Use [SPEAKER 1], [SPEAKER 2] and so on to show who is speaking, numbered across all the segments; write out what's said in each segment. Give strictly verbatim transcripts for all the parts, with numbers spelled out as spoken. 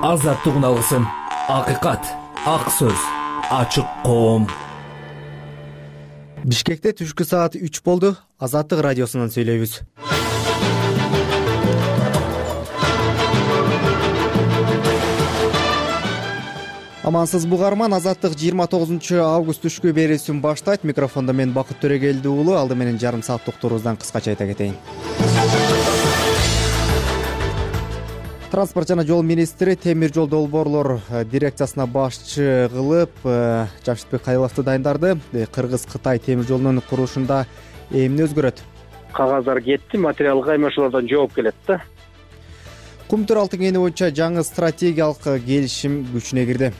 [SPEAKER 1] азаттык алгысым, акыйкат, ак сөз, ачык коом.
[SPEAKER 2] Бишкекте түшкү саат үч болду. Азаттык радиосунан сүйлөйбүз. Амансыз бугарман, Азаттык жыйырма тогузунчу август түшкү берүүсүн баштайт. Микрофондо мен Бакыт Төрөгелди уулу. Алды менен жарым саат токтурубуздан кыскача айта кетейин. Транспорт жана жол министри темир жол долбоорлор дирекциясына башчы кылып Жамшитбек Кайыловду дайындарды. Кыргыз-Кытай темир жолунун курушунда эмне өзгөрөт?
[SPEAKER 3] Кагаздар кетти, материалга эми ошолордон жооп келет да.
[SPEAKER 2] Кумтөр алтын кени боюнча жаңы стратегиялык келишим күчүнө кирди.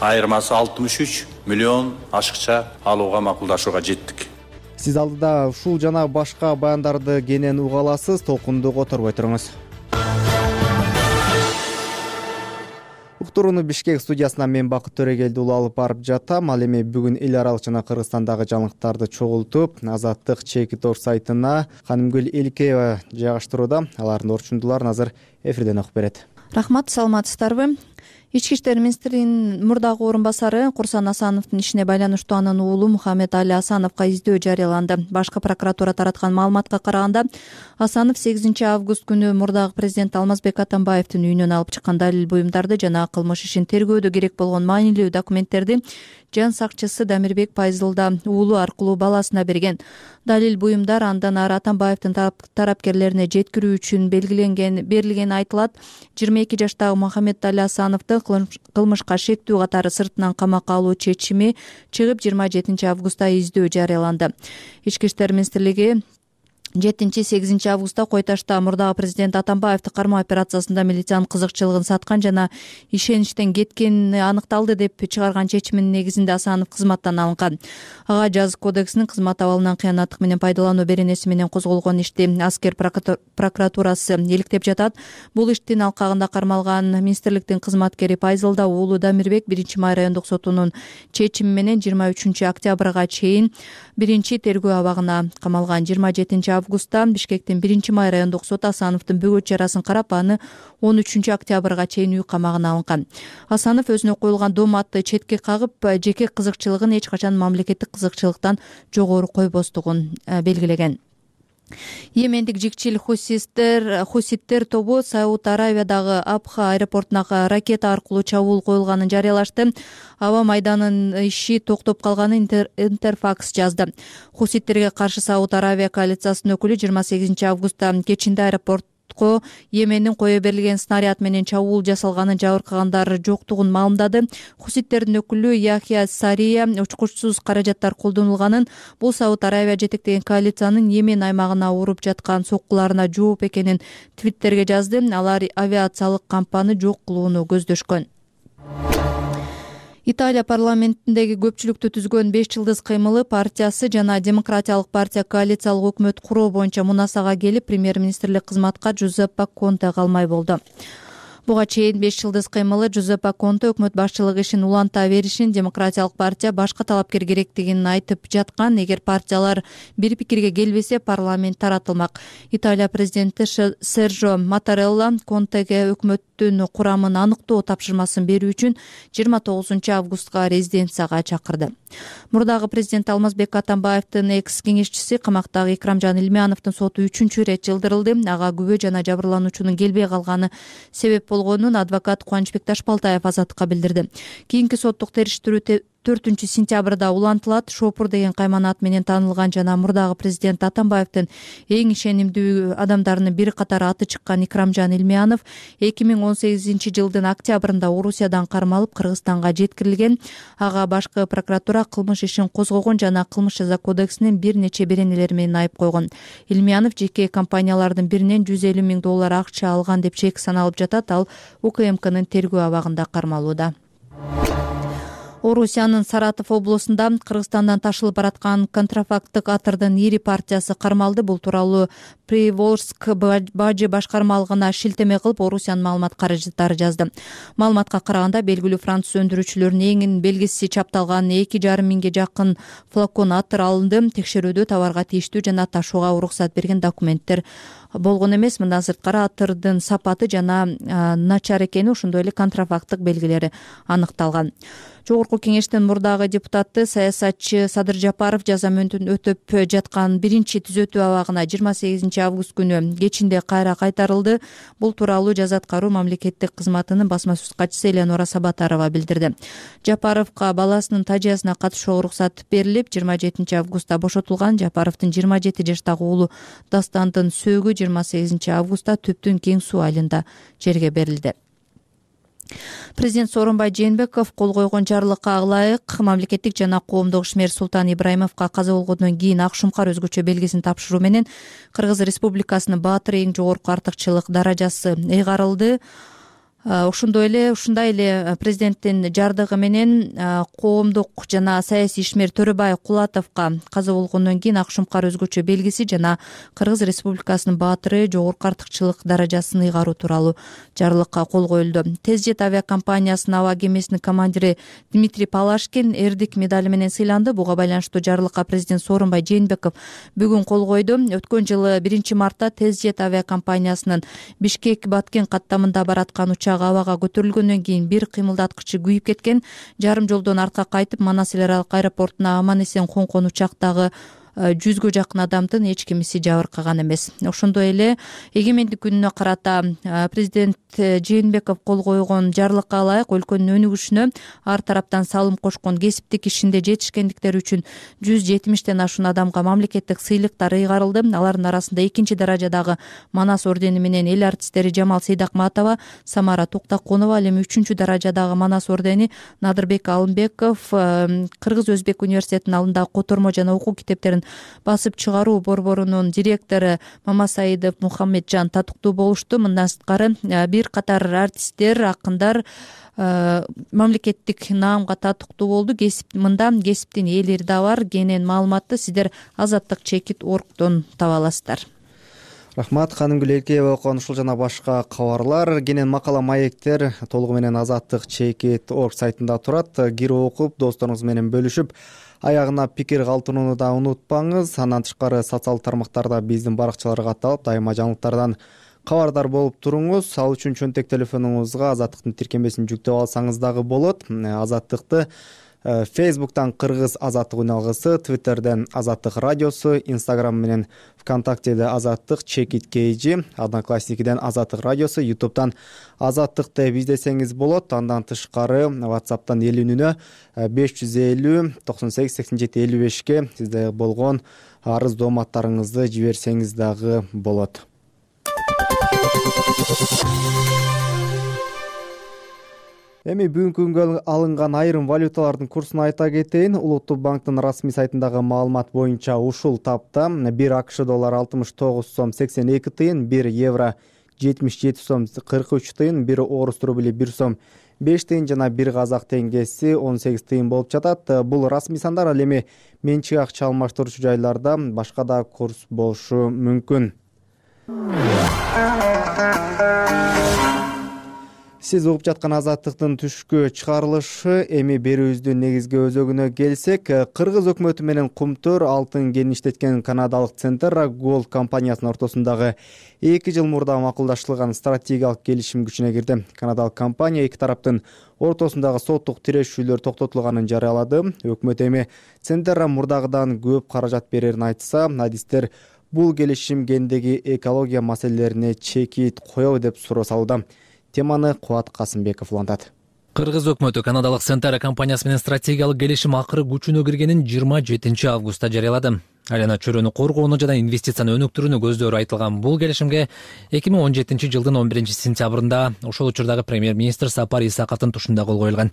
[SPEAKER 4] Айырмасы алтымыш үч миллион ашыкча алууга макулдашууга жеттик.
[SPEAKER 2] Сиз алдыда ушул жана башка баяндарды кенен уга аласыз. Толкунду которбой туруңуз. Уктурууну Бишкек студиясынан мен Бакыт Төрөгелди уулу алып барып жатам. Ал эми бүгүн эл аралык жана Кыргызстандагы жаңылыктарды чогултуп, Азаттык Чекитор сайтына Канымгүл Эликеева жайгаштырууда. Алардын орчундуларын азыр эфирден окуп берет.
[SPEAKER 5] Рахмат, саламатсыздарбы? Ички иштер министринин мурдагы орун басары Курсан Асановдун ишине байланыштуу анын уулу Мухаммед Али Асановго издөө жарыяланды. Башкы прокуратура тараткан маалыматка караганда, Асанов сегизинчи август күнү мурдагы президент Алмазбек Атамбаевдин үйүнөн алып чыккан далил буюмдарды жана кылмыш ишин тергөөдө керек болгон маанилүү документтерди жан сакчысы Дамирбек Пайзылда уулу аркылуу баласына берген. Далил буюмдар андан ары Атамбаевдин тарапкерлерине жеткирүү үчүн белгиленген берилгени айтылат. жыйырма эки жаштагы Мухаммед Али Асановду кылмышка шектүү катары сыртынан камакка алуу чечими чыгып жыйырма жетинчи августта издөө жарыяланды. Ички иштер министрлиги жетинчи сегизинчи августта Кой Ташта мурдагы президент Атамбаевди кармоо операциясында милициянын кызыкчылыгын саткан жана ишеничтен кеткени аныкталды деп чыгарган чечиминин негизинде Асанов кызматтан алынган. Ага жазык кодексинин кызмат абалынан кыянаттык менен пайдалануу беренеси менен козголгон ишти аскер прокуратурасы иликтеп жатат. Бул иштин алкагында кармалган министрликтин кызматкери Пайзылда уулу Дамирбек биринчи май райондук сотунун чечими менен жыйырма үчүнчү октябрга чейин биринчи тергөө абагына камалган. жыйырма жетинчи августта Бишкектин биринчи май райондук соту Асановдун бөгөт чарасын карап, аны он үчүнчү октябрга чейин үй камагына алынган. Асанов өзүнө коюлган дооматты четке кагып, жеке кызыкчылыгын эч качан мамлекеттик кызыкчылыктан жогору койбостугун белгилеген. Йемендик жикчил хуситтер хуситтер тобу Сауд Аравиядагы Абха аэропортуна ракета аркылуу чабуул коюлганын жарыялашты. Аба майданынын иши токтоп калганын Интерфакс жазды. Хуситтерге каршы Сауд Аравия коалициясынын өкүлү жыйырма сегизинчи августта кечинде аэропорт Йемендин кое берилген снаряд менен чабуул жасалганын жабыркагандар жоктугун маалымдады. Хуситтердин өкүлү Яхья Сария учкучсуз каражаттар колдонулганын, бул Сауд Аравия жетектеген коалициянын Йемен аймагына уруп жаткан соккуларына жооп экенин твиттерге жазды. Алар авиациялык кампаны жок кылууну көздөшкөн. Италия парламентиндеги көпчүлүктү түзгөн беш жылдыз кыймылы партиясы жана Демократиялык партия коалициялык өкмөт куруу боюнча мунасага келип, премьер-министрлик кызматка Джузеппе Конте калмай болду. Буга чейин беш жылдыз кыймылы Джузеппе Конте өкмөт башчылыгы ишин уланта беришин Демократиялык партия башка талапкер керектигин айтып жаткан. Эгер партиялар бир пикирге келбесе, парламент таратылмак. Италия президенти Серджо Маттарелла Контеге өкмөттүн курамын аныктоо тапшырмасын берүү үчүн жыйырма тогузунчу августка резиденцияга чакырды. Мурдагы президент Алмазбек Атамбаевдин экс кеңешчиси камактагы Икрамжан Илмяновдун соту үчүнчү ирет жылдырылды. Ага күбө жана жабырлануучунун келбей калганы себеп болгонун адвокат Кубанычбек Ташбалтаев Азаттыкка билдирди. Кийинки соттук териштирүү төртүнчү сентябрда улантылат. Шопур деген кайманат менен таанылган жана мурдагы президент Атамбаевдин эң ишенимдүү адамдарынын бири катары аты чыккан Икрамжан Илмянов эки миң он сегизинчи жылдын октябрында Орусиядан кармалып Кыргызстанга жеткирилген. Ага башкы прокуратура кылмыш ишин козгогон жана кылмыш жаза кодексинин бир нече беренелери менен айып койгон. Илмянов жеке компаниялардын биринен жүз элүү миң доллар акча алган деп чек саналып жатат. Ал УКМКнын тергөө абагында кармалууда. Орусиянын Саратов облусунда Кыргызстандан ташылып бараткан контрафакттык атырдын ири партиясы кармалды. Бул тууралуу Приволжск бажы башкармалыгына шилтеме кылып Орусиянын маалымат каражаттары жазды. Маалыматка караганда белгилүү француз өндүрүүчүлөрүнүн эң белгиси чапталган эки жарым миңге жакын флакон атыр алынды. Текшерүүдө товарга тийиштүү жана ташууга уруксат берген документтер болгон эмес. Мындан сырткары атырдын сапаты жана начар экени, ошондой эле контрафакттык белгилери аныкталган. Жогорку кеңештин мурдагы депутаты саясатчы Садыр Жапаров жаза мөөнөтүн өтөп жаткан биринчи түзөтүү абагына жыйырма сегизинчи август күнү кечинде кайра кайтарылды. Бул тууралуу жаза аткаруу мамлекеттик кызматынын басма сөз катчысы Эленора Сабатарова билдирди. Жапаровго баласынын тажыясына катышууга уруксат берилип, жыйырма жетинчи августта бошотулган. Жапаровдун жыйырма жети жаштагы уулу Дастандын сөөгү жыйырма сегизинчи августта Түптүн кең суу айылында жерге берилди. Президент Сооронбай Жээнбеков кол койгон жарлыкка ылайык мамлекеттик жана коомдук ишмер Султан Ибраимовго каза болгондон кийин ак шумкар өзгөчө белгисин тапшыруу менен Кыргыз Республикасынын баатыры эң жогорку артыкчылык даражасы ыйгарылды. Ошондой эле ушундай эле президенттин жардыгы менен коомдук жана саясий ишмер Төрөбай Кулатовго каза болгондон кийин ак шумкар өзгөчө белгиси жана Кыргыз Республикасынын баатыры жогорку артыкчылык даражасын ыйгаруу тууралуу жарлыкка кол коюлду. Тез жет авиакомпаниясынын аба кемесинин командири Дмитрий Палашкин эрдик медали менен сыйланды. Буга байланыштуу жарлыкка президент Сооронбай Жээнбеков бүгүн кол койду. Өткөн жылы биринчи мартта Тез жет авиакомпаниясынын Бишкек-Баткен каттамында бараткан учак абага көтөрүлгөндөн кийин бир кыймылдаткычы күйүп кеткен. Жарым жолдон артка кайтып Манас эл аралык аэропортуна аман эсен коңкон учактагы жүзгө жакын адамдын эч кимиси жабыркаган эмес. Ошондой эле эгемендик күнүнө карата президент Жээнбеков кол койгон жарлыкка ылайык өлкөнүн өнүгүшүнө ар тараптан салым кошкон, кесиптик ишинде жетишкендиктери үчүн жүз жетимиштен ашуун адамга мамлекеттик сыйлыктар ыйгарылды. Алардын арасында экинчи даражадагы Манас ордени менен эл артисттери Жамал Сейдакматова, Самара Токтокунова, ал эми үчүнчү даражадагы Манас ордени Надырбек Алымбеков Кыргыз-Өзбек университетинин алдындагы котормо жана окуу китептерин басып чыгаруу борборунун директору Мамасаидов Мухаммеджан татыктуу болушту. Мындан сырткары бир катар артисттер, акындар мамлекеттик наамга татыктуу болду. Кесип мында кесиптин ээлери да бар. Кенен маалыматты сиздер азаттык чекит оргтон таба аласыздар.
[SPEAKER 2] Рахмат, Ханымгүл Эркеева окуган ушул жана башка кабарлар, кенен макала маектер толугу менен азаттык чекит орг сайтында турат. Кирип окуп, досторуңуз менен бөлүшүп, аягына пикир калтырууну да унутпаңыз. Андан тышкары социалдык тармактарда биздин баракчаларга катталып, дайыма жаңылыктардан кабардар болуп туруңуз. Ал үчүн чөнтек телефонуңузга азаттыктын тиркемесин жүктөп алсаңыз дагы болот. Азаттыкты Фейсбуктан Кыргыз азаттык үналгысы, Твиттерден Азаттык радиосу, Инстаграм менен ВКонтактеде Азаттык чекит кейжи, Одноклассникиден Азаттык радиосу, Ютубтан Азаттык деп издесеңиз болот. Андан тышкары WhatsApp'тан эл үнүнө беш жүз элүү токсон сегиз сексен жети элүү бешке сизде болгон арыз дооматтарыңызды жиберсеңиз дагы болот. Эми бүгүнкү күнгө алынган айрым валюталардын курсун айта кетейин. Улуттук банктын расмий сайтындагы маалымат боюнча ушул тапта бир АКШ доллары алтымыш тогуз сом сексен эки тыйын, бир евро жетимиш жети сом кырк үч тыйын, бир орус рубли бир сом беш тыйын жана бир казак теңгеси он сегиз тыйын болуп жатат. Бул расмий сандар, ал эми менчик акча алмаштыруучу жайларда башка да курс болушу мүмкүн. Сиз угуп жаткан Азаттыктын түшкү чыгарылышы. Эми берүүбүздүн негизги өзөгүнө келсек, Кыргыз өкмөтү менен Кумтөр алтын кенин иштеткен канадалык Centerra Gold компаниясынын ортосундагы эки жыл мурда макулдаштырылган стратегиялык келишим күчүнө кирди. Канадалык компания эки тараптын ортосундагы соттук тирешүүлөр токтотулганын жарыялады. Өкмөт эми Centerra мурдагыдан көп каражат берерин айтса, адистер бул келишим кендеги экология маселелерине чекит коёбу деп суроо салууда. Теманы Кубат Касымбеков улантат.
[SPEAKER 6] Кыргыз өкмөтү канадалык Centerra компаниясы менен стратегиялык келишим акыры күчүнө киргенин жыйырма жетинчи августта жарыялады. айлана чөйрөнү коргоону жана инвестицияны өнүктүрүүнү көздөрү айтылган бул келишимге эки миң он жетинчи жылдын он биринчи сентябрында ошол учурдагы премьер-министр Сапар Исаковдун тушунда кол коюлган.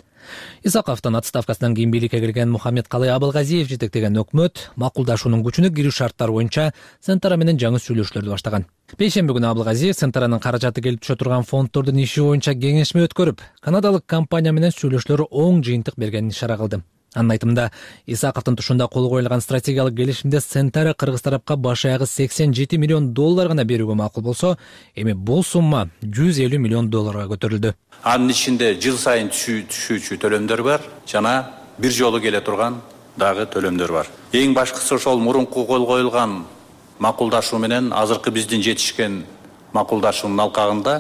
[SPEAKER 6] Исаковдун отставкасынан кийин бийликке келген Мухаммедкалый Абылгазиев жетектеген өкмөт макулдашуунун күчүнө кирүү шарттары боюнча Центара менен жаңы сүйлөшүүлөрдү баштаган. Бейшемби күнү Абылгазиев Центаранын каражаты келип түшө турган фонддордун иши боюнча кеңешме өткөрүп, канадалык компания менен сүйлөшүүлөр оң жыйынтык бергенин ишара кылды. Анын айтымында, Исаковдун тушунда кол коюлган стратегиялык келишимде Центара кыргыз тарапка баш аягы сексен жети миллион доллар гана берүүгө макул болсо, эми бул сумма жүз элүү миллион долларга көтөрүлдү.
[SPEAKER 4] Анын ичинде жыл сайын түшүүчү төлөмдөр бар жана бир жолу келе турган дагы төлөмдөр бар. Эң башкысы ошол мурунку кол коюлган макулдашуу менен азыркы биздин жетишкен макулдашуунун алкагында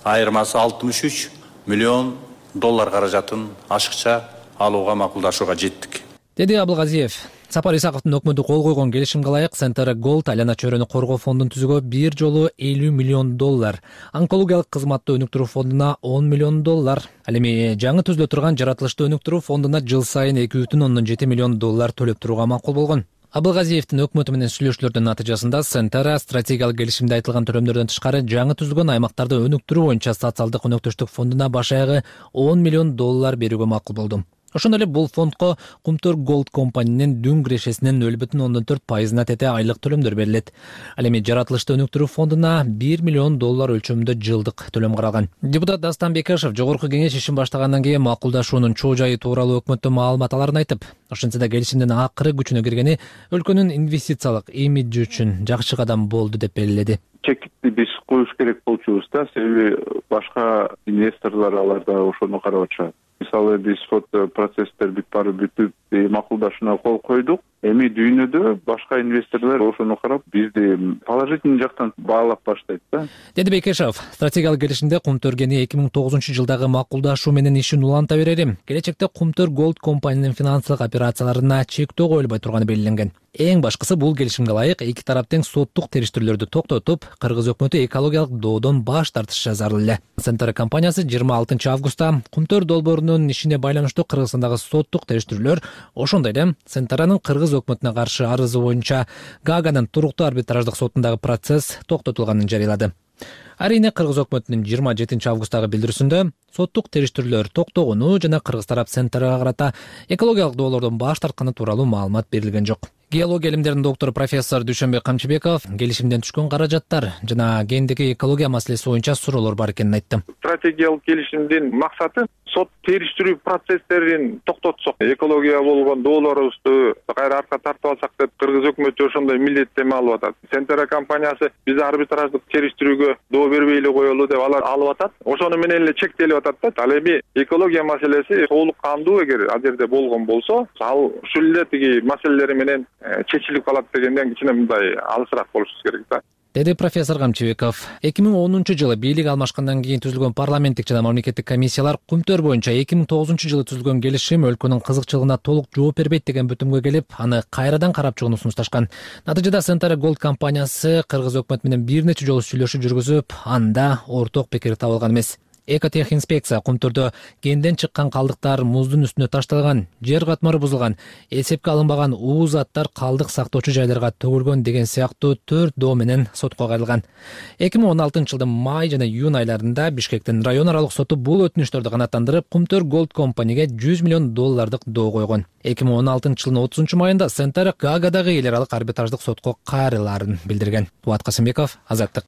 [SPEAKER 4] айырмасы алтымыш үч миллион доллар каражатын ашыкча алууга макулдашууга жеттик,
[SPEAKER 6] деди Абылгазиев. Сапар Исаковдун өкмөтү кол койгон келишимге ылайык Центара Голд айлана чөйрөнү коргоо фондун түзүүгө бир жолу элүү миллион доллар, онкологиялык кызматты өнүктүрүү фондуна он миллион доллар, ал эми жаңы түзүлө турган жаратылышты өнүктүрүү фондуна жыл сайын эки бүтүн ондон жети миллион доллар төлөп турууга макул болгон. Абылгазиевдин өкмөтү менен сүйлөшүүлөрдүн натыйжасында Центара стратегиялык келишимде айтылган төлөмдөрдөн тышкары жаңы түзүлгөн аймактарды өнүктүрүү боюнча социалдык өнөктөштүк фондуна баш аягы он миллион доллар берүүгө макул болду. Ошондой эле бул фондко Кумтөр Голд компаниянын дүн кирешесинин нөл бүтүн ондон төрт пайызына тете айлык төлөмдөр берилет. Ал эми жаратылышты өнүктүрүү фондуна бир миллион доллар өлчөмүндө жылдык төлөм каралган. Депутат Дастан Бекешев жогорку кеңеш ишин баштагандан кийин макулдашуунун чоо жайы тууралуу өкмөттөн маалымат аларын айтып, ошентсе да келишимдин акыры күчүнө киргени өлкөнүн инвестициялык имиджи үчүн жакшы кадам болду деп белгиледи.
[SPEAKER 7] Чекитти биз коюш керек болчубуз да, себеби башка инвесторлор аларда ошону карап атышат. Мисалы биз сот процесстер бүт бары бүтүп макулдашууна кол койдук. Эми дүйнөдө башка инвесторлор ошону карап бизди положительный жактан баалап баштайт да.
[SPEAKER 6] Деди Бекешев, стратегиялык келишимде Кумтөргени эки миң тогузунчу жылдагы макулдашуу менен ишин уланта берери, келечекте Кумтөр Голд компаниянын финансылык операцияларына чектөө коюлбай турганы белгиленген. Эң башкысы бул келишимге ылайык эки тарап тең соттук териштирүүлөрдү токтотуп, кыргыз өкмөтү экологиялык доодон баш тартышы зарыл эле. Центара компаниясы жыйырма алтынчы августта Кумтөр долбоорунун ишине байланыштуу Кыргызстандагы соттук териштирүүлөр, ошондой эле Центаранын кыргыз өкмөтүнө каршы арызы боюнча Гааганын туруктуу арбитраждык сотундагы процесс токтотулганын жарыялады. Арийне кыргыз өкмөтүнүн жыйырма жетинчи августагы билдирүүсүндө соттук териштирүүлөр токтогону жана кыргыз тарап Центарага карата экологиялык доолордон баш тартканы тууралуу маалымат берилген жок. Геология илимдеринин доктору профессор Дүйшөнбек Камчыбеков келишимден түшкөн каражаттар жана кээинтеги экология маселеси боюнча суроолор бар экенин айтты.
[SPEAKER 7] Стратегиялык келишимдин максаты сот териштирүү процесстерин токтотсок, экология болгон доолорубузду кайра артка тартып алсак деп кыргыз өкмөтү ошондой милдеттенме алып атат. Центара компаниясы биз арбитраждык териштирүүгө доо бербей эле коелу деп алар алып атат. Ошону менен эле чектелип атат да. Ал эми экология маселеси толук кандуу эгер ал жерде болгон болсо, ал ушул эле тиги маселелери менен чечилип калат дегенден кичине мындай алысыраак болушубуз керек да.
[SPEAKER 6] Деди профессор Камчыбеков. эки миң онунчу жылы бийлик алмашкандан кийин түзүлгөн парламенттик жана мамлекеттик комиссиялар Кумтөр боюнча эки миң тогузунчу жылы түзүлгөн келишим өлкөнүн кызыкчылыгына толук жооп бербейт деген бүтүмгө келип, аны кайрадан карап чыгууну сунушташкан. Натыйжада Центара Голд компаниясы кыргыз өкмөтү менен бир нече жолу сүйлөшүү жүргүзүп, анда орток пикир табылган эмес. Экотехинспекция Кумтөрдө кенден чыккан калдыктар муздун үстүнө ташталган, жер катмары бузулган, эсепке алынбаган уу заттар калдык сактоочу жайларга төгүлгөн деген сыяктуу төрт доо менен сотко кайрылган. эки миң он алтынчы жылдын май жана июнь айларында Бишкектин район аралык соту бул өтүнүштөрдү канааттандырып, Кумтөр Голд компанияга жүз миллион доллардык доо койгон. эки миң он алтынчы жылдын отузунчу майында Центара Гаагадагы эл аралык арбитраждык сотко кайрылаарын билдирген. Туат Касымбеков, Азаттык.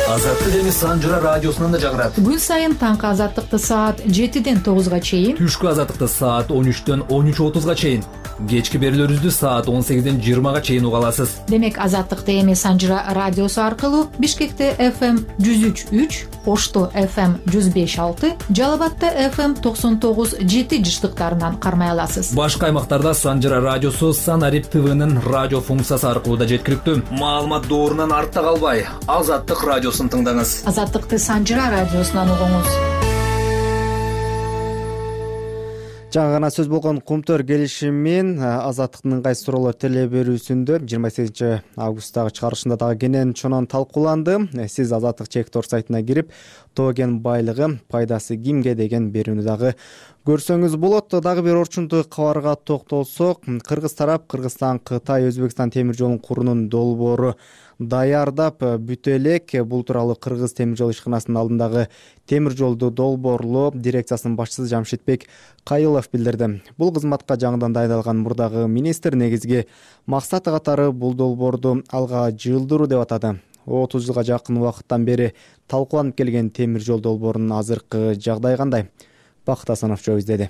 [SPEAKER 1] Азаттык эми Санжыра радиосунан да жагырат.
[SPEAKER 8] Күн сайын таңкы азаттыкты саат жетиден тогузга чейин,
[SPEAKER 1] Түшкү азаттыкты саат он үчтөн он үч отузга чейин, кечки берүүлөрүбүздү саат он сегизден жыйырмага чейин уга аласыз.
[SPEAKER 8] Демек азаттыкты эми Санжыра радиосу аркылуу Бишкекте эф эм жүз үч үч, Ошто эф эм жүз беш алты, Жалал Абадта эф эм токсон тогуз жети жыштыктарынан кармай аласыз.
[SPEAKER 1] Башка аймактарда Санжыра радиосу Санарип ТВнын радио функциясы аркылуу да жеткиликтүү. Маалымат доорунан артта калбай, Азаттык радиосун тыңдаңыз.
[SPEAKER 8] Азаттыкты Санжыра радиосунан угуңуз.
[SPEAKER 2] Жаңы гана сөз болгон Кумтөр келишимин Азаттыктын кайсы суроолор теле берүүсүндө жыйырма сегизинчи августтагы чыгарылышында дагы кенен чонон талкууланды. Сиз Азаттык чек тор сайтына кирип, тоо кен байлыгы пайдасы кимге деген берүүнү дагы көрсөңүз болот. Дагы бир орчундуу кабарга токтолсок, кыргыз тарап Кыргызстан Кытай Өзбекстан темир жолун куруунун долбоору даярдап бүтө элек. Бул тууралуу Кыргыз темир жол ишканасынын алдындагы темир жолду долбоорлоо дирекциясынын башчысы Жамшитбек Кайылов билдирди. Бул кызматка жаңыдан дайындалган мурдагы министр негизги максаты катары бул долбоорду алга жылдыруу деп атады. отуз жылга жакын убакыттан бери талкууланып келген темир жол долбоорунун азыркы жагдайы кандай? Бакыт Асанов жоо издеди.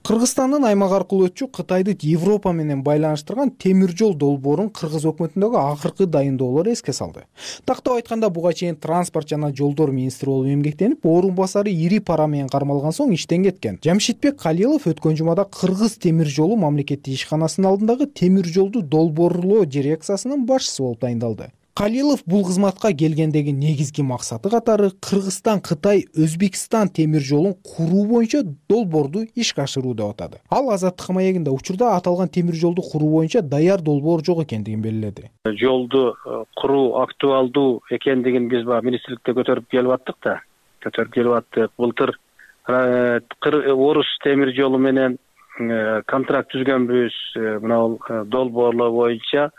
[SPEAKER 9] Кыргызстандын аймак аркылуу өтчү Кытайды Европа менен байланыштырган темир жол долбоорун Кыргыз өкмөтүндөгү акыркы дайындоолор эске салды. Тактап айтканда, буга чейин транспорт жана жолдор министри болуп эмгектенип, орун басары ири пара менен кармалган соң иштен кеткен Жамшитбек Калилов өткөн жумада Кыргыз темир жолу мамлекеттик ишканасынын алдындагы темир жолду долбоорлоо дирекциясынын башчысы болуп дайындалды. Калилов бул кызматка келгендеги негизги максаты катары Кыргызстан Кытай Өзбекстан темир жолун куруу боюнча долбоорду ишке ашыруу деп атады. Ал Азаттык маегинде учурда аталган темир жолду куруу боюнча даяр долбоор жок экендигин белгиледи.
[SPEAKER 3] Жолду куруу актуалдуу экендигин биз баягы министрликте көтөрүп келип аттык да. Көтөрүп келип аттык. Былтыр Орус темир жолу менен контракт түзгөнбүз. Мына долбоорлоо боюнча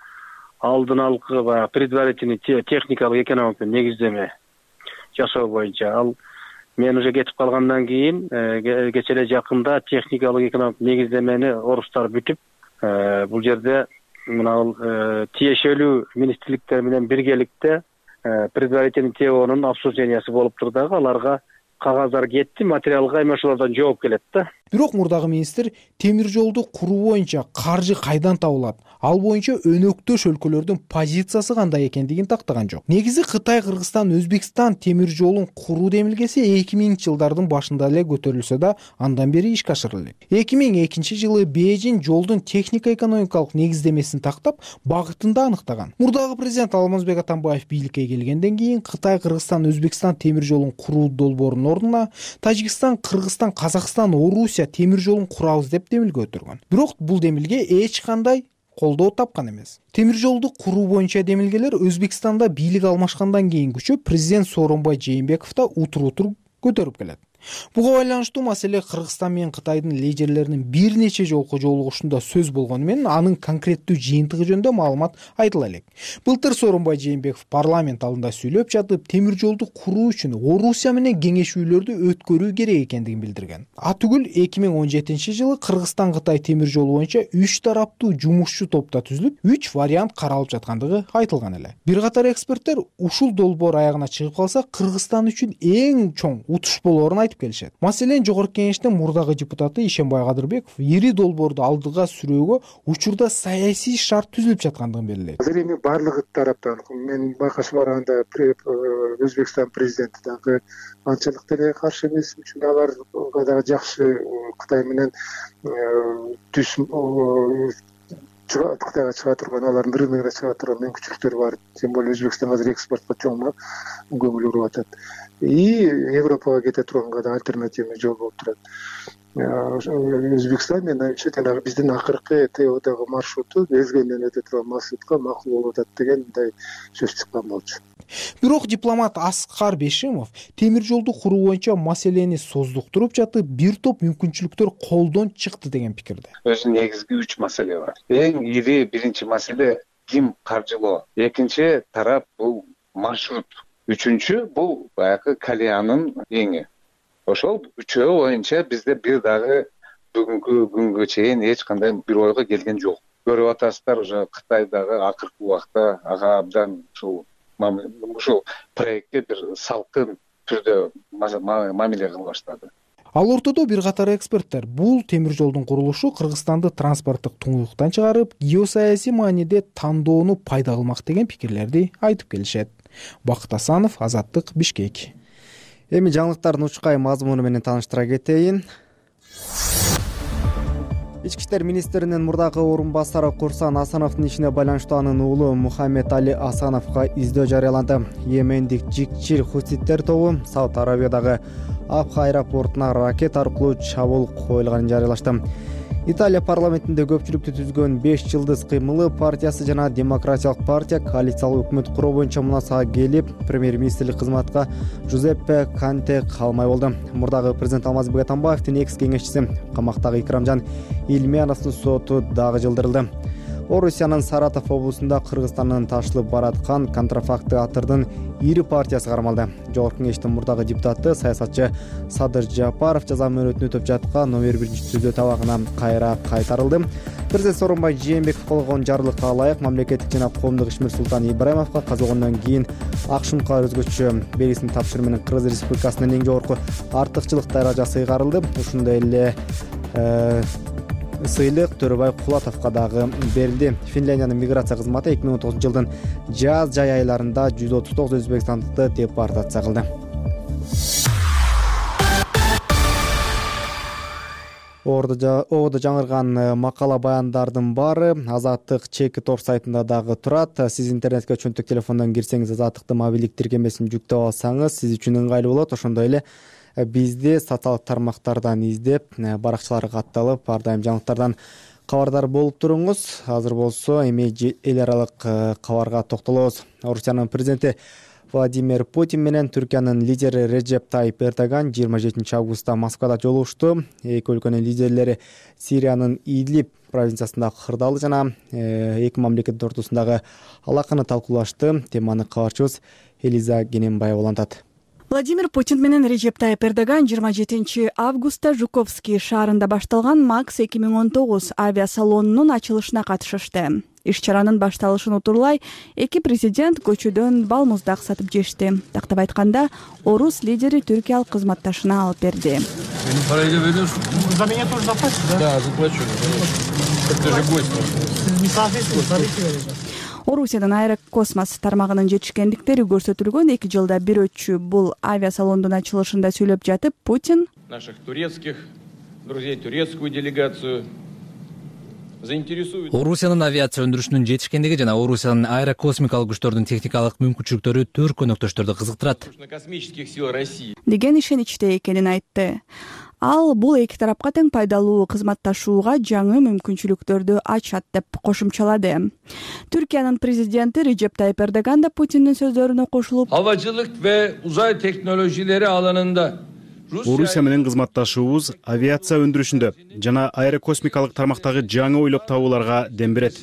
[SPEAKER 3] алдын алгы баягы предварительный техникалык экономикалык негиздеме жасоо боюнча. Ал мен уже кетип калгандан кийин кече эле жакында техникалык экономикалык негиздемени орустар бүтүп, бул жерде мына тиешелүү министрликтер менен биргеликте предварительный теонун обсуждениясы болуптур дагы, аларга кагаздар кетти, материалдык аймашуулардан жооп келет да.
[SPEAKER 9] Бирок мурдагы министр темир жолду куруу боюнча каржы кайдан табылат, ал боюнча өнөктөш өлкөлөрдүн позициясы кандай экендигин тактаган жок. Негизи Кытай Кыргызстан Өзбекстан темир жолун куруу демилгеси эки миңинчи жылдардын башында эле көтөрүлсө да, андан бери ишке ашырылды. эки миң экинчи жылы Бейжин жолдун техника экономикалык негиздемесин тактап, багытын да аныктаган. Мурдагы президент Алмазбек Атамбаев бийликке келгенден кийин Кытай Кыргызстан Өзбекстан темир жолун куруу долбоорунун ордуна Тажикстан, Кыргызстан, Казакстан, Орусия темир жолун курабыз деп демилге өтүргөн. Бирок бул демилге эч кандай колдоо тапкан эмес. Темир жолду куруу боюнча демилгелер Өзбекстанда бийлик алмашкандан кийин күчөп, президент Сооронбай Жээнбеков да утур-утур көтөрүп келет. Буга байланыштуу маселе Кыргызстан менен Кытайдын лидерлеринин бир нече жолку жолугушуунда сөз болгону менен анын конкреттүү жыйынтыгы жөнүндө маалымат айтыла элек. Былтыр Сооронбай Жээнбеков парламент алдында сүйлөп жатып, темир жолду куруу үчүн Орусия менен кеңешүүлөрдү өткөрүү керек экендигин билдирген. Атүгүл эки миң он жетинчи жылы Кыргызстан Кытай темир жолу боюнча үч тараптуу жумушчу топто түзүлүп, үч вариант каралып жаткандыгы айтылган эле. Бир катар эксперттер ушул долбоор аягына чыгып калса, Кыргызстан үчүн эң чоң утуш болоорун айтып келишет. Маселен, Жогорку Кеңештин мурдагы депутаты Ишенбай Кадырбеков ири долбоорду алдыга сүрөөгө учурда саясий шарт түзүлүп жаткандыгын белгилейт.
[SPEAKER 10] Азыр эми баардыгы тараптан, мен байкашып барганда Өзбекстан президенти дагы анчалык деле каршы эмес, үчүн аларга дагы жакшы Кытай менен түз Кытайга чыга турган, алардын рыногуна чыга турган мүмкүнчүлүктөр бар. Тем более Өзбекстан азыр экспортко чоң көңүл буруп атат. И Европага кете турганга да альтернативный жол болуп турат. Өзбекстан менен жанагы биздин акыркы ТОдогу маршруту мезгилинен өтө турган маршрутка макул болуп атат деген мындай сөз чыккан болчу.
[SPEAKER 9] Бирок дипломат Аскар Бешимов темир жолду куруу боюнча маселени создуктуруп жатып, бир топ мүмкүнчүлүктөр колдон чыкты деген пикирде.
[SPEAKER 11] Өзү негизги үч маселе бар. Эң ири биринчи маселе ким каржылоо, экинчи тарап бул маршрут, үчүнчү бул баягы Калиянын эңи. Ошол үчөө боюнча бизде бир дагы бүгүнкү күнгө чейин эч кандай бир ойго келген жок. Көрүп атасыздар, уже Кытайдагы акыркы убакта ага абдан ушул ушул проектке бир салкын түрдө мамиле кыла баштады.
[SPEAKER 9] Ал ортодо бир катар эксперттер бул темир жолдун курулушу Кыргызстанды транспорттук туңгуюктан чыгарып, геосаясий мааниде тандоону пайда кылмак деген пикирлерди айтып келишет. Бакыт Асанов, Азаттык, Бишкек.
[SPEAKER 2] Эми жаңылыктардын учкай мазмуну менен тааныштыра кетейин. Ички иштер министринин мурдагы орун басары Курсан Асановдун ишине байланыштуу анын уулу Мухаммед Али Асановго издөө жарыяланды. Йемендик жикчил хуситтер тобу Сауд Арабиядагы Абха аэропортуна ракета аркылуу чабуул коюлганын жарыялашты. Италия парламентинде көпчүлүктү түзгөн беш жылдыз кыймылы партиясы жана Демократиялык партия коалициялык өкмөт куруу боюнча мунасага келип, премьер-министрлик кызматка Жузеппе Конте калмай болду. Мурдагы президент Алмазбек Атамбаевдин экс кеңешчиси, камактагы Икрамжан Илмяновдун соту дагы жылдырылды. Орусиянын Саратов облусунда Кыргызстандан ташылып бараткан контрафакты атырдын ири партиясы кармалды. Жогорку кеңештин мурдагы депутаты, саясатчы Садыр Жапаров жаза мөөнөтүн өтөп жаткан номер биринчи түзөө табагына кайра кайтарылды. Президент Сооронбай Жээнбеков кол койгон жарлыкка ылайык мамлекеттик жана коомдук ишмер Султан Ибраимовго казылгондон кийин Акшумкалар өзгөчө белгисин тапшыруу менен Кыргыз Республикасынын эң жогорку артыкчылык даражасы ыйгарылды. Ушундай эле сыйлык Төрөбай Кулатовго дагы берилди. Финляндиянын миграция кызматы эки миң он тогузунчу жылдын жаз жай айларында жүз отуз тогуз өзбекстандыкты депортация кылды. Ободо жаңырган макала баяндардын баары Азаттык чеки тор сайтында дагы турат. Сиз интернетке чөнтөк телефондон кирсеңиз, Азаттыктын мобилдик тиркемесин жүктөп алсаңыз, сиз үчүн ыңгайлуу болот. Ошондой эле бизди социалдык тармактардан издеп, баракчаларга катталып, ар дайым жаңылыктардан кабардар болуп туруңуз. Азыр болсо эми эл аралык кабарга токтолобуз. Орусиянын президенти Владимир Путин менен Түркиянын лидери Реджеп Тайип Эрдоган жыйырма жетинчи августта Москвада жолугушту. Эки өлкөнүн лидерлери Сириянын Идлиб провинциясындагы кырдаалы жана эки мамлекет ортосундагы алаканы талкуулашты. Теманы кабарчыбыз Элиза Гененбаева улантат.
[SPEAKER 12] Владимир Путин менен Реджеп Тайип Эрдоган жыйырма жетинчи августта Жуковский шаарында башталган Макс эки миң он тогуз авиасалонунун ачылышына катышышты. Иш-чаранын башталышын утурлай эки президент көчөдөн балмуздак сатып жешти. Тактап айтканда, орус лидери түркиялык кызматташына алып берди.
[SPEAKER 13] За меня тоже заплатишь, да? Да, заплачу. Это же гость. Не соответствует.
[SPEAKER 12] Орусиядан Аэрокосмос тармагынын жетишкендиктери көрсөтүлгөн эки жылда бир өтчү бул авиасалондун ачылышында сүйлөп жатып, Путин
[SPEAKER 13] наших турецких друзей, турецкую делегацию заинтересует.
[SPEAKER 6] Орусиянын авиация өндүрүшүнүн жетишкендиги жана Орусиянын аэрокосмикалык күчтөрдүн техникалык мүмкүнчүлүктөрү төрт көнөктөштөрдү кызыктырат.
[SPEAKER 13] Космических сил России
[SPEAKER 12] деген ишеничте экенин айтты. Ал бул эки тарапка тең пайдалуу кызматташууга жаңы мүмкүнчүлүктөрдү ачат деп кошумчалады. Түркиянын президенти Реджеп Тайип Эрдоган да Путиндин сөздөрүнө кошулуп,
[SPEAKER 13] havacılık ve uzay teknolojileri alanında
[SPEAKER 14] Орусия менен кызматташуубуз авиация өндүрүшүндө жана аэрокосмикалык тармактагы жаңы ойлоп табууларга дем берет.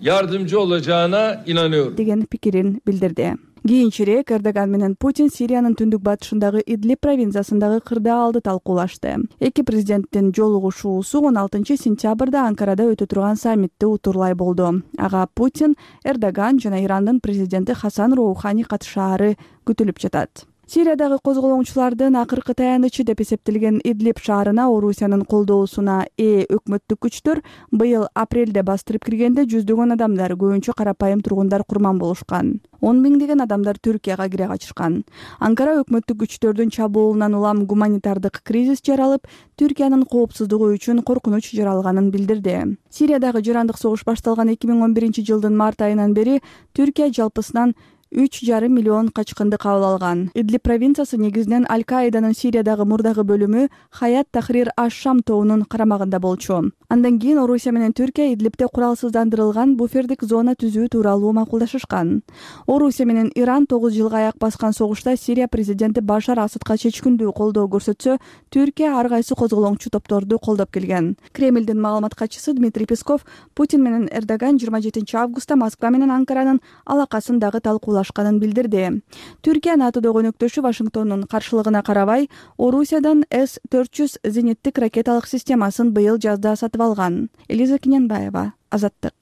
[SPEAKER 13] Yardımcı olacağına inanıyorum.
[SPEAKER 12] деген пикирин билдирди. Кийинчерээк Эрдоган менен Путин Сириянын түндүк батышындагы Идлиб провинциясындагы кырдаалды талкуулашты. Эки президенттин жолугушуусу он алтынчы сентябрда Анкарада өтө турган саммитти утурлай болду. Ага Путин, Эрдоган жана Ирандын президенти Хасан Роухани катышаары күтүлүп жатат. Сириядагы козголоңчулардын акыркы таянычы деп эсептелген Идлиб шаарына Орусиянын колдоосуна ээ өкмөттүк күчтөр быйыл апрелде бастырып киргенде жүздөгөн адамдар, көбүнчө карапайым тургундар курман болушкан. он миңдеген адамдар Түркияга кире качышкан. Анкара өкмөттүк күчтөрдүн чабуулунан улам гуманитардык кризис жаралып, Түркиянын коопсуздугу үчүн коркунуч жаралганын билдирди. Сириядагы жырандык согуш башталган эки миң он биринчи жылдын март айынан бери Түркия жалпысынан үч жарым миллион качкынды кабыл алган. Идлиб провинциясы негизинен Аль-Каиданын Сириядагы мурдагы бөлүмү Хаят Тахрир аш-Шам тобунун карамагында болчу. Андан кийин Орусия менен Түркия Идлибте куралсыздандырылган буфердик зона түзүү тууралуу макулдашышкан. Орусия менен Иран тогуз жылга аяк баскан согушта Сирия президенти Башар Асадка чечкиндүү колдоо көрсөтсө, Түркия ар кайсы козголоңчу топторду колдоп келген. Кремлдин маалымат катчысы Дмитрий Песков Путин менен Эрдоган жыйырма жетинчи августта Москва менен Анкаранын алакасын дагы талкуулашканын билдирди. Түркия НАТОдогу өнөктөшү Вашингтондун каршылыгына карабай, Орусиядан эс төрт жүз зениттик ракеталык системасын быйыл жазда сатып алган. Элиза Гененбаева, Азаттык.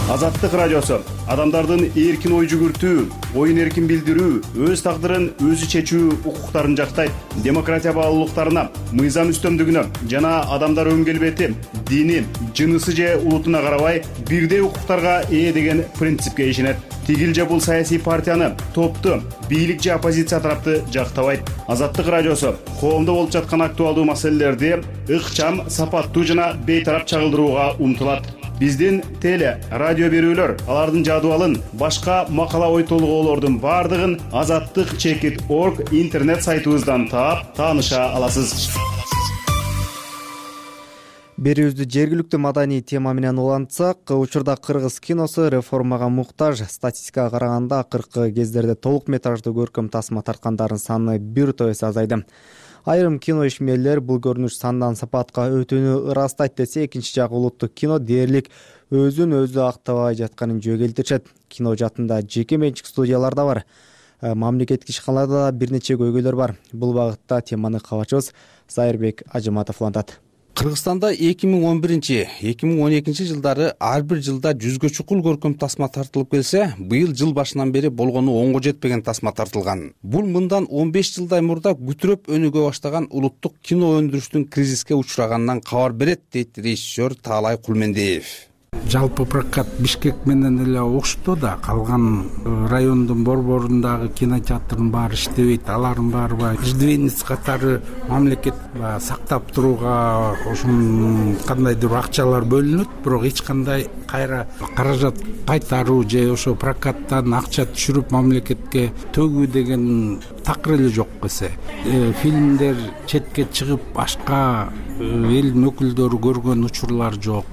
[SPEAKER 14] Азаттык радиосу адамдардын эркин ой жүгүртүү, оюн эркин билдирүү, өз тагдырын өзү чечүү укуктарын жактайт. Демократия баалуулуктарына, мыйзам үстөмдүгүнө жана адамдар өн келбети, дини, жынысы же улутуна карабай бирдей укуктарга ээ деген принципке ишенет. Тигил же бул саясий партияны, топту, бийлик же оппозиция тарапты жактабайт. Азаттык радиосу коомдо болуп жаткан актуалдуу маселелерди ыкчам, сапаттуу жана бейтарап чагылдырууга умтулат. Биздин теле, радио берүүлөр, алардын жадыбалын, башка макала ой толгоолордун бардыгын азаттык чекит точка орг интернет сайтыбыздан таап, тааныша аласыз.
[SPEAKER 2] берүүбүздү жергиликтүү маданий тема менен улантсак, учурда кыргыз киносу реформага муктаж. Статистикага караганда акыркы кездерде толук метраждуу көркөм тасма тарткандардын саны бир топ эсе азайды. Айрым кино ишмерлер бул көрүнүш сандан сапатка өтүүнү ырастайт десе, экинчи жагы улуттук кино дээрлик өзүн өзү актабай жатканын жөө келтиришет. Кино жаатында жеке менчик студиялар да бар. Мамлекеттик ишканаларда да бир нече көйгөйлөр бар. Бул багытта теманы кабарчыбыз Зайырбек Ажыматов улантат.
[SPEAKER 15] Кыргызстанда эки миң он биринчи эки миң он экинчи жылдары ар бир жылда жүзгө чукул көркөм тасма тартылып келсе, быйыл жыл башынан бери болгону онго жетпеген тасма тартылган. Бул мындан он беш жылдай мурда күтүрөп өнүгө баштаган улуттук кино өндүрүштүн кризиске учураганынан кабар берет, дейт режиссер Таалай Кулмендиев.
[SPEAKER 16] Жалпы прокат Бишкек менен эле окшотту да, калган райондун борборундагы кинотеатрдын баары иштебейт, алардын баары иждивенец катары мамлекет сактап турууга ошон кандайдыр акчалар бөлүнөт, бирок эч кандай кайра каражат кайтаруу же ошо прокаттан акча түшүрүп мамлекетке төгүү деген такыр эле жок эсе. Фильмдер четке чыгып башка элдин өкүлдөрү көргөн учурлар жок.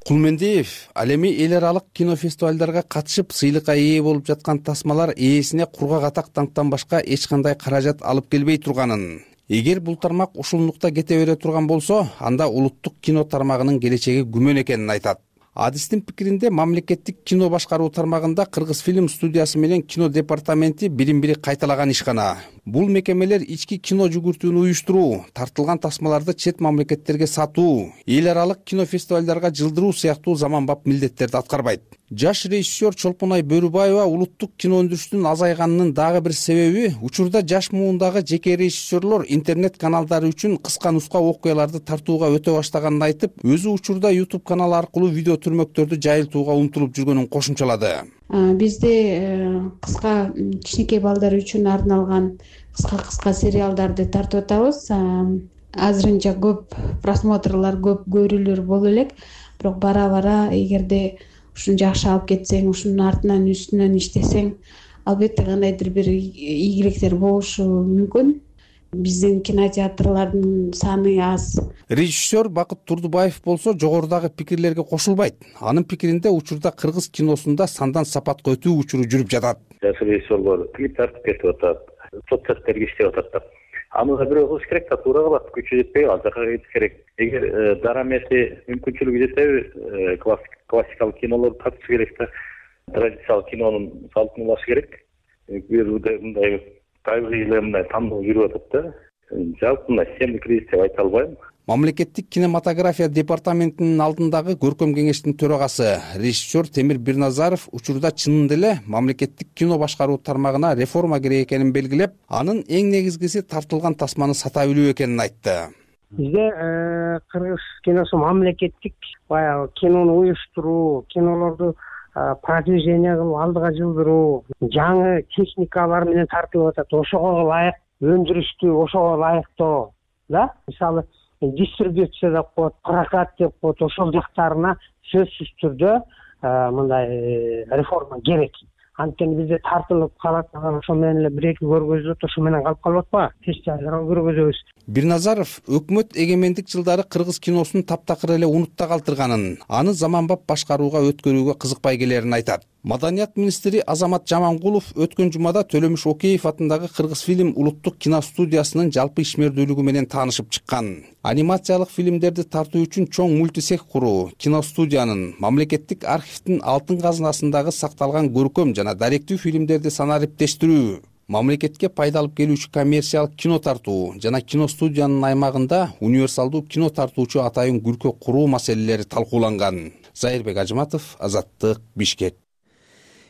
[SPEAKER 15] Кулмендиев ал эми эл аралык кинофестивалдарга катышып сыйлыкка ээ болуп жаткан тасмалар ээсине кургак атактан башка эч кандай каражат алып келбей турганын, эгер бул тармак ушунлукта кете бере турган болсо, анда улуттук кино тармагынын келечеги күмөн экенин айтат. Адистин пикиринде, мамлекеттик кино башкаруу тармагында Кыргыз фильм студиясы менен кино департаменти бирин-бири кайталаган ишкана. Бул мекемелер ички кино жүгүртүүнү уюштуруу, тартылган тасмаларды чет мамлекеттерге сатуу, эл аралык кинофестивалдарга жылдыруу сыяктуу заманбап милдеттерди аткарбайт. Жаш режиссер Чолпонай Бөрүбаева улуттук кино өндүрүштүн азайганынын дагы бир себеби учурда жаш муундагы жеке режиссерлор интернет каналдары үчүн кыска нуска окуяларды тартууга өтө баштаганын айтып, өзү учурда YouTube канал аркылуу видео түрмөктөрдү жайылтууга умтулуп жүргөнүн кошумчалады.
[SPEAKER 17] Бизде кыска кичинекей балдар үчүн арналган кыска-кыска сериалдарды тартып атабыз. Азырынча көп просмотрлор, көп көрүүлөр боло элек, бирок бара-бара эгерде ушуну жакшы алып кетсең, ушунун артынан үстүнөн иштесең, албетте кандайдыр бир ийгиликтер болушу мүмкүн. Биздин кинотеатрлардын саны аз.
[SPEAKER 15] Режиссер Бакыт Турдубаев болсо жогорудагы пикирлерге кошулбайт. Анын пикиринде учурда кыргыз киносунда сандан сапатка өтүү учуру жүрүп жатат.
[SPEAKER 18] Жаш режиссерлор клип тартып кетип атат, соцсеттерге иштеп атат. Аны да бирөө кылыш керек да, туура кылат, күчү жетпей ал жака кетиш керек. Эгер дарамети мүмкүнчүлүгү жетеби, классикалык кинолорду тартыш керек да, традициялык кинонун салтын улаш керек. Мындай табигый эле мындай тандоо жүрүп атат да. Жалпы мындай системдик кризис деп айта албайм.
[SPEAKER 15] Мамлекеттик кинематография департаментинин алдындагы көркөм кеңештин төрагасы режиссер Темир Бирназаров учурда чынында эле мамлекеттик кино башкаруу тармагына реформа керек экенин белгилеп, анын эң негизгиси тартылган тасманы сата билүү экенин айтты.
[SPEAKER 19] Бизде кыргыз киносу мамлекеттик баягы кинону уюштуруу, кинолорду продвижение кылып алдыга жылдыруу, жаңы техникалар менен тартылып атат. Ошого ылайык өндүрүштү, ошого ылайыктоо, да? Мисалы, дистрибьюция деп коет, прокат деп коет, ошол жактарына сөзсүз түрдө мындай реформа керек. Анткени бизде тартылып калат, ошол менен эле бир эки көргөзөт, ошо менен калып калып атпайбы? Фестивалдарга көргөзөбүз.
[SPEAKER 15] Бирназаров өкмөт эгемендик жылдары кыргыз киносун таптакыр эле унутта калтырганын, аны заманбап башкарууга өткөрүүгө кызыкпай келерин айтат. Маданият министри Азамат Жамангулов өткөн жумада Төлөмүш Океев атындагы Кыргыз фильм улуттук киностудиясынын жалпы ишмердүүлүгү менен таанышып чыккан. Анимациялык фильмдерди тартуу үчүн чоң мультисех куруу, киностудиянын, мамлекеттик архивдин алтын казынасындагы сакталган көркөм жана даректүү фильмдерди санариптештирүү, мамлекетке пайда алып келүүчү коммерциялык кино тартуу жана киностудиянын аймагында универсалдуу кино тартуучу атайын күркө куруу маселелери талкууланган. Зайырбек Ажыматов, Азаттык, Бишкек.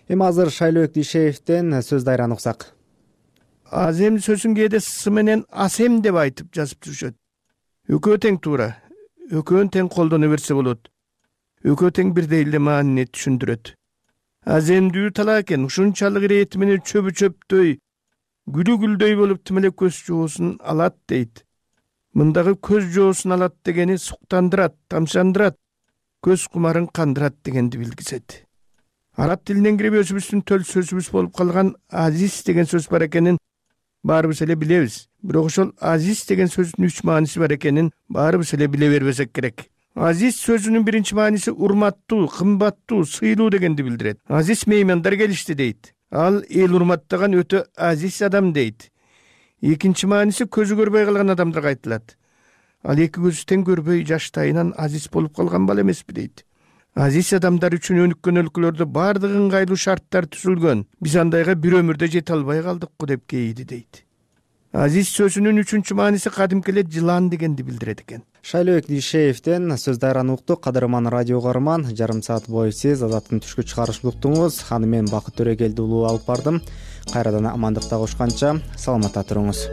[SPEAKER 2] Эми азыр Шайлообек Дүйшеевден сөз дайраны уксак.
[SPEAKER 20] Азем сөзүн кээде с менен асем деп айтып жазып жүрүшөт. Экөө тең туура, экөөнү тең колдоно берсе болот. Экөө тең бирдей эле маанини түшүндүрөт. Аземдүү талаа экен, ушунчалык ирети менен чөбү чөптөй, гүлү гүлдөй болуп тимелеп көз жоосун алат дейт. Мындагы көз жоосун алат дегени суктандырат, тамшандырат, көз кумарын кандырат дегенди билгизет. Араб тилинен кирип өзүбүздүн төл сөзүбүз болуп калган азиз деген сөз бар экенин баарыбыз эле билебиз. Бирок ошол азиз деген сөздүн үч мааниси бар экенин баарыбыз эле биле бербесек керек. азиз сөзүнүн биринчи мааниси урматтуу, кымбаттуу, сыйлуу дегенди билдирет. Азиз меймандар келишти дейт. Ал эл урматтаган өтө азиз адам дейт. Экинчи мааниси көзү көрбөй калган адамдарга айтылат. Ал эки көзү тең көрбөй жаштайынан азиз болуп калган бала эмеспи дейт. Азиз адамдар үчүн өнүккөн өлкөлөрдө баардык ыңгайлуу шарттар түзүлгөн. Биз андайга бир өмүрдө жете албай калдыкпы деп кейиди дейт. Азиз сөзүнүн үчүнчү мааниси кадимки эле жылан дегенди билдирет экен.
[SPEAKER 2] Шайлообек Дүйшеевден сөз дайраны уктук. Кадырман радио көрөрман, жарым саат бою сиз Азаттын түшкү чыгарышын уктуңуз. Аны мен Бакыт Төрөгелди улуу алып бардым. Кайрадан амандыкта кошконча саламатта туруңуз.